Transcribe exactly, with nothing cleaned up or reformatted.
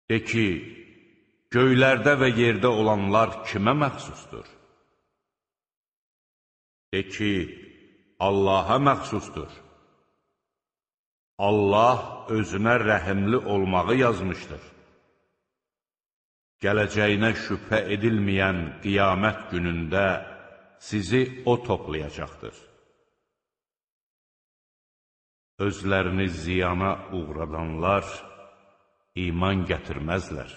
De ki, göylərdə və yerdə olanlar kimə məxsusdur? De ki, Allaha məxsusdur. Allah özünə rəhimli olmağı yazmışdır. Gələcəyinə şübhə edilməyən qiyamət günündə sizi O toplayacaqdır. Özlərini ziyana uğradanlar iman gətirməzlər.